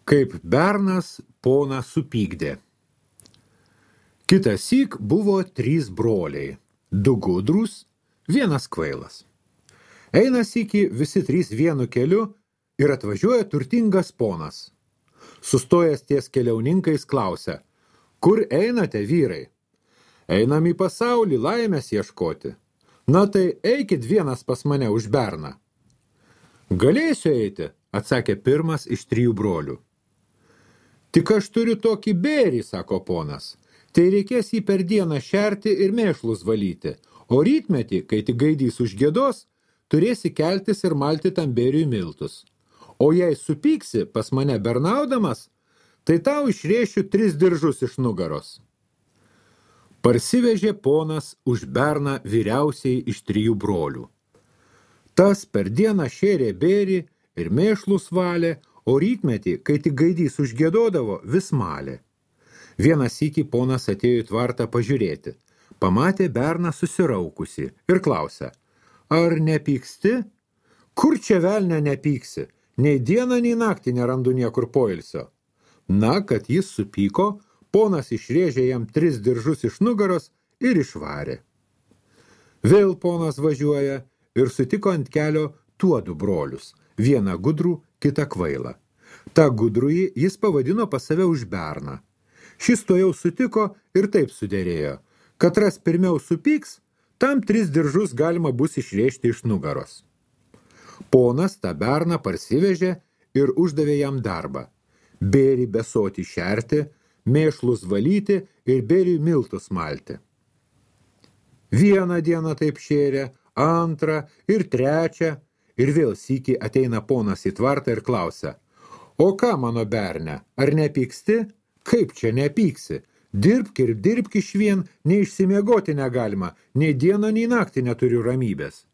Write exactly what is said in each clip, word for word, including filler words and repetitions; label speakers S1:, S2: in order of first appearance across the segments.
S1: Kaip bernas poną supykdė. Kitąsyk buvo trys broliai, du gudrūs, vienas kvailas. Eina sykį visi trys vienu keliu ir atvažiuoja turtingas ponas. Sustojęs ties keliauninkais klausia, kur einate, vyrai? Einam į pasaulį laimės ieškoti. Na tai eikit vienas pas mane už berną. Galėsiu eiti, atsakė pirmas iš trijų brolių. Tik aš turiu tokį bėrį, sako ponas. Tai reikės jį per dieną šerti ir mėšlus valyti, o rytmetį, kai tik gaidys užgiedos, turėsi keltis ir malti tam bėriui miltus. O jei supyksi pas mane bernaudamas, tai tau išrėšiu tris diržus iš nugaros. Parsivežė ponas už berną vyriausiai iš trijų brolių. Tas per dieną šėrė bėrį ir mėšlus valė, o rytmetį, kai tik gaidys užgiedodavo, vis malė. Vieną sykį ponas atėjo į tvartą pažiūrėti. Pamatė berną susiraukusi ir klausė, ar nepyksti? Kur čia velne nepyksi? Nei dieną, nei naktį nerandu niekur poilsio. Na, kad jis supyko, ponas išrėžė jam tris diržus iš nugaros ir išvarė. Vėl ponas važiuoja ir sutiko ant kelio tuodu brolius, vieną gudrų, kitą kvailą. Ta gudrųjį jis pavadino pas save už berną. Šis to jau sutiko ir taip suderėjo, katras pirmiau supyks, tam tris diržus galima bus išrėžti iš nugaros. Ponas tą berną parsivežė ir uždavė jam darbą. Bėrį besoti šerti, mėšlus valyti ir bėriui miltus malti. Vieną dieną taip šėrė, antrą ir trečią, ir vėl sykį ateina ponas į tvartą ir klausia, o ką mano berne, ar nepyksti? Kaip čia nepyksi? Dirbk ir dirbk išvien, nei išsimiegoti negalima, nei dieną, nei naktį neturiu ramybės.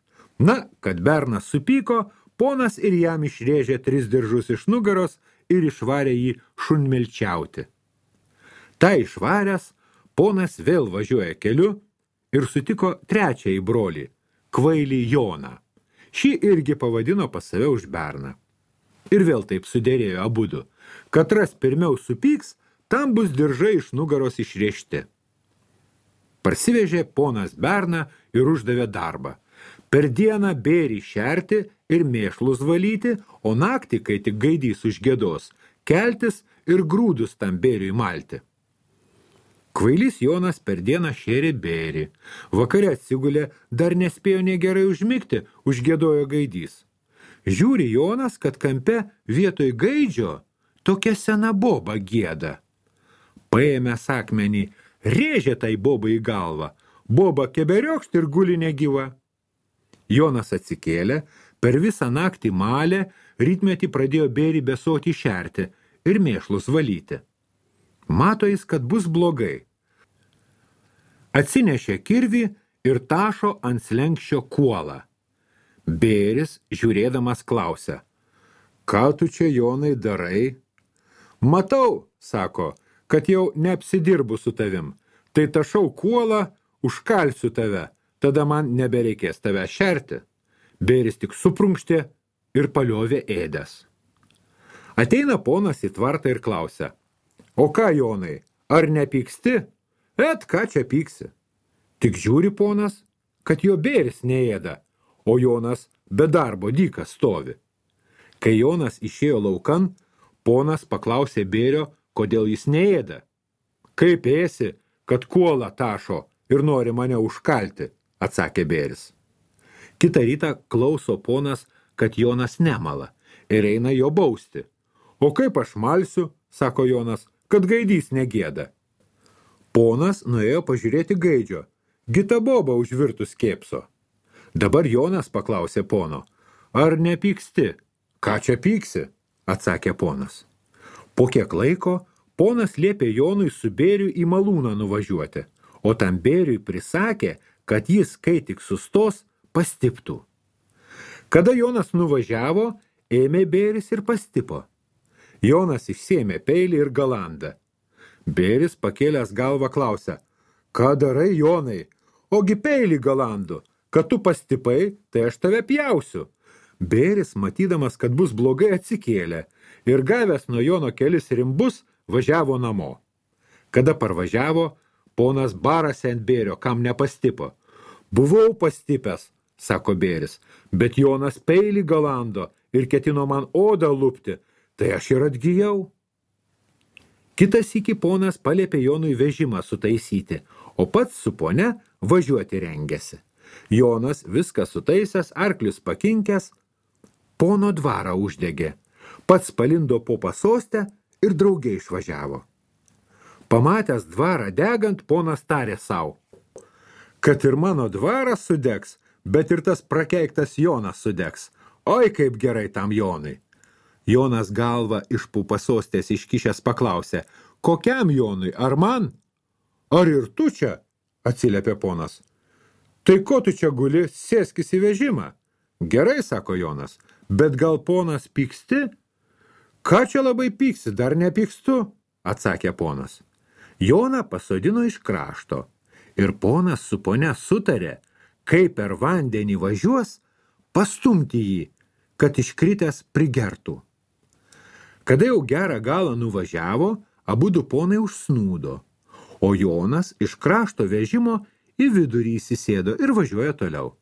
S1: Na, kad bernas supyko, ponas ir jam išrėžė tris diržus iš nugaros ir išvarė jį šunmelčiauti. Ta išvaręs, ponas vėl važiuoja keliu ir sutiko trečiąjį brolį, kvailį Joną. Šį irgi pavadino pas save už berną. Ir vėl taip suderėjo abudu. Katras pirmiau supyks, tam bus diržai iš nugaros išrėžti. Parsivežė ponas berną ir uždavė darbą. Per dieną bėrį šerti ir mėšlus valyti, o naktį, kai tik gaidys užgiedos, keltis ir grūdus tam bėriui malti. Kvailys Jonas per dieną šėrė bėrį. Vakare atsigulė, dar nespėjo nei gerai užmigti, užgiedojo gaidys. Žiūri Jonas, kad kampe vietoj gaidžio tokia sena boba gieda. Paėmęs akmenį, rėžė tai bobai į galvą. Boba keberiokšt ir guli negyva. Jonas atsikėlė, per visą naktį malė, rytmetį pradėjo bėrį besoti šerti ir mėšlus valyti. Mato jis, kad bus blogai. Atsinešė kirvį ir tašo ant slenkščio kuolą. Bėris, žiūrėdamas, klausia, ką tu čia, Jonai, darai? Matau, sako, kad jau neapsidirbu su tavim. Tai tašau kuolą, užkalsiu tave, tada man nebereikės tave šerti. Bėris tik suprunkštė ir paliovė ėdęs. Ateina ponas į tvartą ir klausia, o ką, Jonai, ar nepyksti? Et, ką čia pyksi? Tik žiūri ponas, kad jo bėris neėda, o Jonas be darbo dykas stovi. Kai Jonas išėjo laukan, ponas paklausė bėrio, kodėl jis neėda. Kaip ėsi, kad kuolą tašo ir nori mane užkalti, atsakė bėris. Kitą rytą klauso ponas, kad Jonas nemala ir eina jo bausti. O kaip aš malsiu, sako Jonas, kad gaidys negėda. Ponas nuėjo pažiūrėti gaidžio, gita boba užvirtus kėpso. Dabar Jonas paklausė pono, ar nepyksti? Ką čia pyksi? Atsakė ponas. Po kiek laiko ponas liepė Jonui su bėriu į malūną nuvažiuoti, o tam bėriui prisakė, kad jis, kai tik sustos, pastiptų. Kada Jonas nuvažiavo, ėmė bėris ir pastipo. Jonas išsėmė peilį ir galandą. Bėris pakėlęs galvą klausia, ką darai, Jonai? Ogi peilį galandu, kad tu pastipai, tai aš tave pjausiu. Bėris, matydamas, kad bus blogai, atsikėlė ir gavęs nuo Jono kelis rimbus važiavo namo. Kada parvažiavo, ponas barasi ant bėrio, kam nepastipo. Buvau pastipęs, sako bėris, bet Jonas peilį galando ir ketino man odą lupti, tai aš ir atgijau. Kitas iki ponas paliepė Jonui vežimą sutaisyti, o pats su pone važiuoti rengėsi. Jonas viską sutaisęs, arklius pakinkęs, pono dvarą uždegė. Pats palindo po pasostę ir drauge išvažiavo. Pamatęs dvarą degant, ponas tarė sau, kad ir mano dvaras sudegs, bet ir tas prakeiktas Jonas sudegs. Oi, kaip gerai tam Jonui. Jonas galvą iš po pasostės iškišęs paklausė, kokiam Jonui, ar man? Ar ir tu čia? Atsiliepė ponas. Tai ko tu čia guli, sėskis į vežimą? Gerai, sako Jonas, bet gal ponas pyksti? Ką čia labai pyksi, dar nepykstu? Atsakė ponas. Joną pasodino iš krašto ir ponas su ponia sutarė, kaip per vandenį važiuos, pastumti jį, kad iškritęs prigertų. Kada jau gerą galą nuvažiavo, abudu ponai užsnūdo, o Jonas iš krašto vežimo į vidurį įsisėdo ir važiuoja toliau.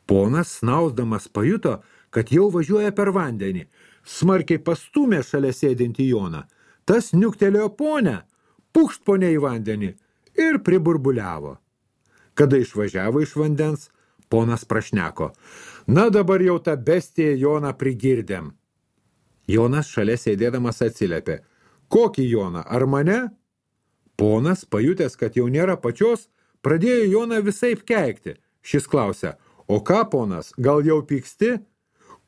S1: Ponas snausdamas pajuto, kad jau važiuoja per vandenį, smarkiai pastūmė šalia sėdintį Joną. Tas niuktelėjo ponę, pukšt ponę į vandenį ir priburbuliavo. Kada išvažiavo iš vandens, ponas prašneko, na dabar jau tą bestiją Joną prigirdėm. Jonas šalia sėdėdamas atsiliepė, kokį Joną, ar mane? Ponas, pajutęs, kad jau nėra pačios, pradėjo Joną visaip keikti. Šis klausė, o ką, ponas, gal jau pyksti?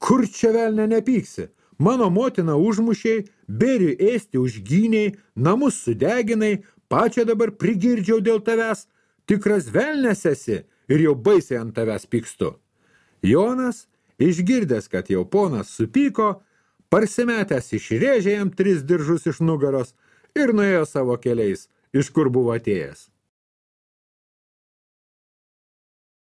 S1: Kur čia velne nepyksi? Mano motina užmušiai, bėriui ėsti užgyniai, namus sudeginai, pačią dabar prigirdžiau dėl tavęs, tikras velnes esi ir jau baisiai ant tavęs pykstu. Jonas, išgirdęs, kad jau ponas supyko, parsimetęs išrėžė jam tris diržus iš nugaros ir nuėjo savo keliais, iš kur buvo atėjęs.